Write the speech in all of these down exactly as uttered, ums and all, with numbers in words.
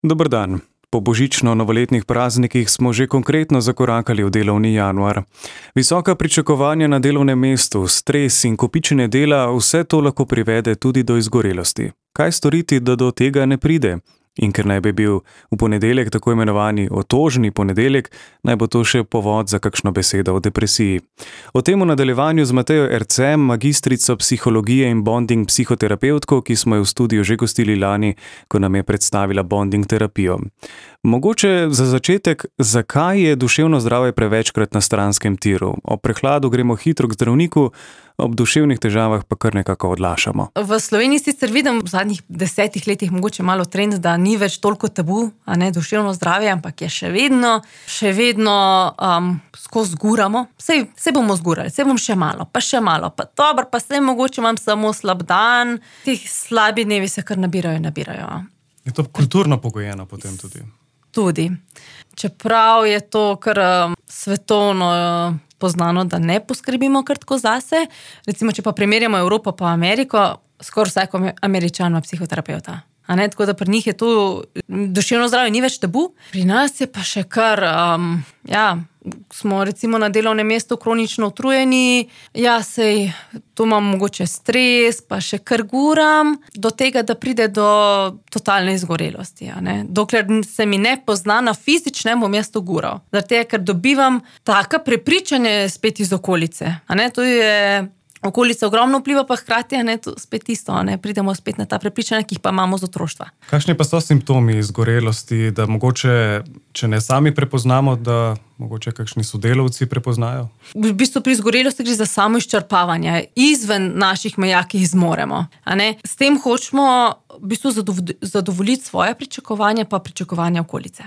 Dober dan. Po božično-novoletnih praznikih smo že konkretno zakorakali v delovni januar. Visoka pričakovanja na delovnem mestu, stres in kopičenje dela, vse to lahko privede tudi do izgorelosti. Kaj storiti, da do tega ne pride? In ker naj bi bil v ponedeljek tako imenovani otožni ponedeljek, naj bo to še povod za kakšno besedo o depresiji. O tem v nadaljevanju z Matejo Ercem, magistrico psihologije in bonding psihoterapevtko, ki smo jo v studiu že gostili lani, ko nam je predstavila bonding terapijo. Mogoče za začetek, zakaj je duševno zdravje prevečkrat na stranskem tiru? Ob prehladu gremo hitro k zdravniku, ob duševnih težavah pa kar nekako odlašamo. V Sloveniji sicer vidim v zadnjih desetih letih mogoče malo trend, da ni več toliko tabu, a ne, duševno zdravje, ampak je še vedno, še vedno um, skozi zguramo. Sej, sej bomo zgurali, sej bom še malo, pa še malo, pa dobro, pa sej mogoče imam samo slab dan. Tih slabi dnevi se kar nabirajo in nabirajo. Je to kulturno pogojeno potem tudi? Tudi. Čeprav je to kar um, svetovno uh, poznano, da ne poskrbimo kar tako zase. Recimo, če pa primerjamo Evropo pa Ameriko, skoraj vsak Američan ima psihoterapevta. A ne, tako da pri njih je to duševno zdravje ni več tabu. Pri nas je pa še kar, um, ja, smo recimo na delovnem mestu kronično utrujeni, ja, sej, tu imam mogoče stres, pa še kar guram, do tega, da pride do totalne izgorelosti, a ne. Dokler se mi ne pozna na fizičnem, bom jaz to gural. Zato, ker dobivam taka prepričanje spet iz okolice, a ne, to je... Okolica ogromno vpliva, pa hkrati je to spet isto, ne? Pridemo spet na ta prepričanja, ki jih pa imamo z otroštva. Kakšni pa so simptomi izgorelosti, da mogoče, če ne sami prepoznamo, da mogoče kakšni sodelavci prepoznajo? V bistvu pri izgorelosti gre za samo izčrpavanje, izven naših meja, ki jih zmoremo. A ne? S tem hočemo v bistvu zadovoljiti svoje pričakovanje, pa pričakovanje okolice.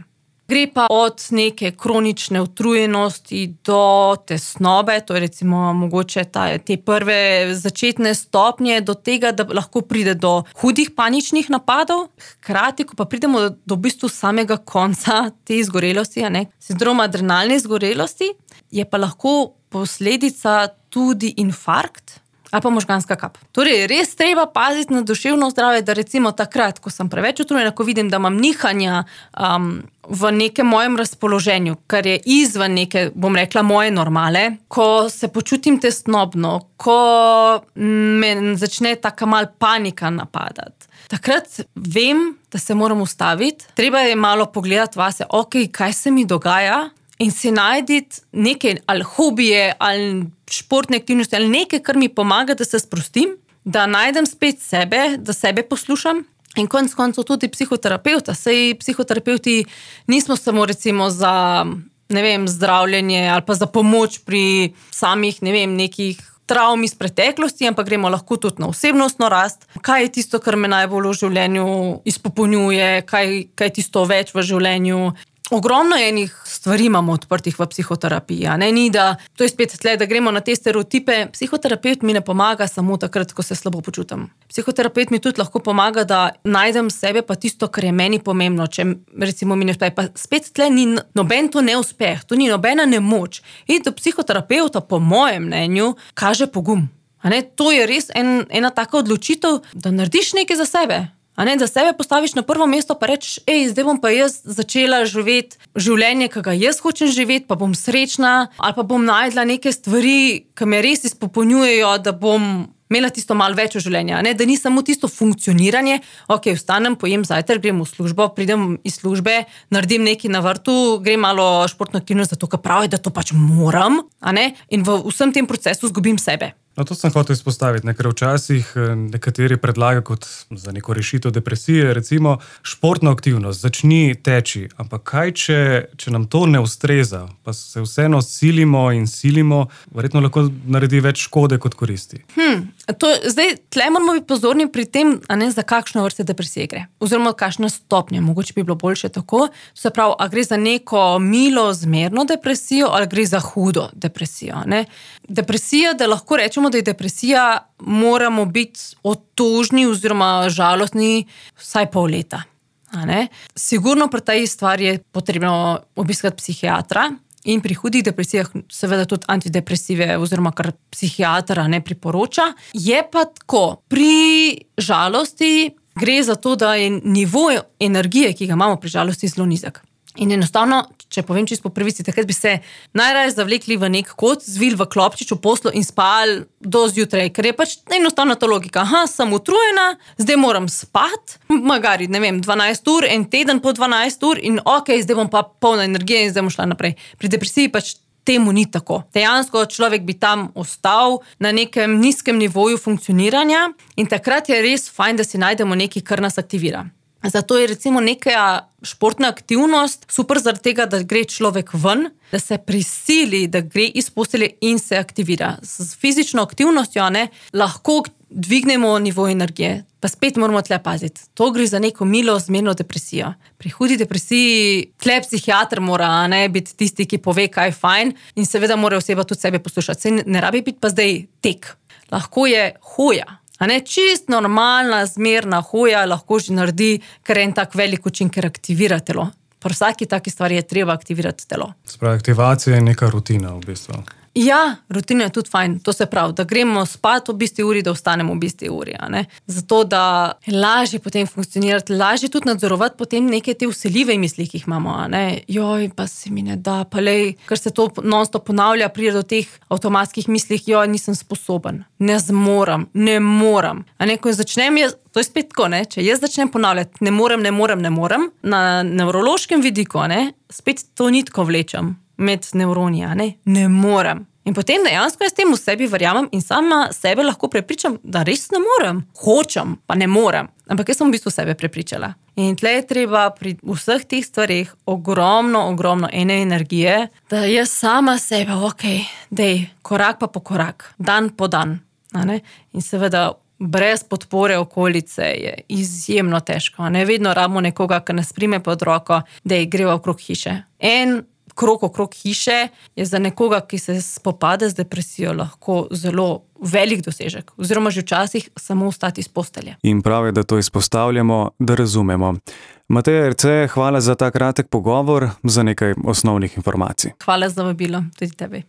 Gre pa od neke kronične utrujenosti do tesnobe, to je recimo mogoče ta, te prve začetne stopnje do tega, da lahko pride do hudih paničnih napadov. Hkrati, ko pa pridemo do, do v bistvu samega konca te izgorelosti, a ne, sindroma adrenalne izgorelosti, je pa lahko posledica tudi infarkt ali pa možganska kap. Torej, res treba paziti na duševno zdravje, da recimo takrat, ko sem preveč utrujena, ko vidim, da imam nihanja um, v nekem mojem razpoloženju, kar je izven neke, bom rekla, moje normale, ko se počutim tesnobno, ko me začne taka mal panika napadati. Takrat vem, da se moram ustaviti, treba je malo pogledati vase, ok, kaj se mi dogaja, in si najditi neke ali hobije, ali športne aktivnosti, ali nekaj, kar mi pomaga, da se sprostim, da najdem spet sebe, da sebe poslušam. In konec koncev tudi psihoterapevta. Sej psihoterapevti nismo samo recimo za, ne vem, zdravljenje ali pa za pomoč pri samih, ne vem, nekih travm iz preteklosti, ampak gremo lahko tudi na osebnostno rast. Kaj je tisto, kar me najbolj v življenju izpopolnjuje, kaj, kaj je tisto več v življenju. Ogromno enih stvari imamo odprtih v psihoterapiji, a ne, ni da, to je spet tle, da gremo na te stereotipe. Psihoterapeut mi ne pomaga samo takrat, ko se slabo počutim. Psihoterapeut mi tudi lahko pomaga, da najdem sebe pa tisto, kar je meni pomembno, če recimo mi ne uspe. Pa spet tle ni noben to neuspeh, to ni nobena nemoč. In do psihoterapeuta, po mojem mnenju, kaže pogum. A ne, to je res en, ena taka odločitev, da narediš nekaj za sebe. A ne, da sebe postaviš na prvo mesto pa reč, ej, zdaj bom pa jaz začela živeti življenje, ki ga jaz hočem živeti, pa bom srečna, ali pa bom najdla neke stvari, ki me res izpopolnjujejo, da bom imela tisto malo več v življenju, a ne, da ni samo tisto funkcioniranje, ok, vstanem, pojem zajtrk, grem v službo, pridem iz službe, naredim nekaj na vrtu, grem malo športno aktivnost, zato, ker pravi, da to pač moram, a ne, in v vsem tem procesu zgubim sebe. No, to sem hotel izpostaviti, ne, ker včasih nekateri predlaga kot za neko rešitev depresije, recimo športno aktivnost, začni teči, ampak kaj, če, če nam to ne ustreza, pa se vseeno silimo in silimo, verjetno lahko naredi več škode kot koristi. Hmm, to, zdaj, tle moramo biti pozorni pri tem, a ne, za kakšno vrste depresije gre, oziroma kakšna stopnja, mogoče bi bilo boljše tako, se pravi, a gre za neko milo, zmerno depresijo, ali gre za hudo depresijo, ne. Depresija, da lahko rečemo, da je depresija, moramo biti otožni oziroma žalostni vsaj pol leta. A ne? Sigurno pri tej stvari je potrebno obiskati psihiatra in pri hudih depresijah seveda tudi antidepresive oziroma kar psihiatra ne priporoča. Je pa tako, pri žalosti Gre za to, da je nivo energije, ki ga imamo pri žalosti, zelo nizek. In enostavno, če povem čisto po pravici, takrat bi se najraje zavlekli v nek kot, zvili v klopčič v poslu in spali do zjutraj, ker je pač enostavno ta logika. Aha, sem utrujena, zdaj moram spati, magari, ne vem, dvanajst ur, en teden po dvanajst ur in ok, zdaj bom pa polna energije in zdaj bom šla naprej. Pri depresiji pač temu ni tako. Dejansko človek bi tam ostal na nekem nizkem nivoju funkcioniranja in takrat je res fajn, da si najdemo nekaj, kar nas aktivira. Zato je recimo neka športna aktivnost super zaradi tega, da gre človek ven, da se prisili, da gre iz postelje in se aktivira. S fizično aktivnostjo ne, lahko dvignemo nivo energije. Pa spet moramo tle paziti. To gre za neko milo, zmerno depresijo. Pri hudi depresiji tle psihiater mora ne, biti tisti, ki pove, kaj je fajn in seveda mora oseba tudi sebe poslušati. Se ne rabi biti pa zdaj tek. Lahko je hoja. A ne, čist normalna, zmerna hoja lahko že naredi, ker en tak velik učinek, ker aktivira telo. Pri vsaki taki stvari je treba aktivirati telo. Spravi, aktivacija je neka rutina v bistvu. Ja, rutina je tudi fajn, to se pravi, da gremo spati v isti uri, da ostanemo v isti uri. A ne? Zato, da je lažje potem funkcionirati, lažje tudi nadzorovati potem neke te vseljive misli, ki jih imamo. A ne? Joj, pa se mi ne da, pa lej, ker se to non-stop ponavlja, pride do teh avtomatskih mislih, joj, nisem sposoben, ne zmorem, ne morem. A ne, ko začnem jaz, to je spet tako, ne? Če jaz začnem ponavljati, ne morem, ne morem, ne morem, na nevrološkem vidiku, a ne? Spet to nitko vlečem med nevroni, a ne? Ne morem. In potem dejansko jaz tem v sebi verjamem in sama sebe lahko prepričam, da res ne morem. Hočem, pa ne morem. Ampak jaz sem v bistvu sebe prepričala. In tle je treba pri vseh teh stvareh ogromno, ogromno ene energije, da jaz sama sebe, ok, dej, korak pa po korak, dan po dan. A ne? In seveda brez podpore okolice je izjemno težko. Ne vedno rabimo nekoga, ki nas prime pod roko, da je greva okrog hiše. En krog okrog hiše je za nekoga, ki se spopade z depresijo, lahko zelo velik dosežek. Oziroma že včasih samo vstati iz postelje. In prav je, da to izpostavljamo, da razumemo. Mateja Erce, hvala za ta kratek pogovor, za nekaj osnovnih informacij. Hvala za vabilo, tudi tebi.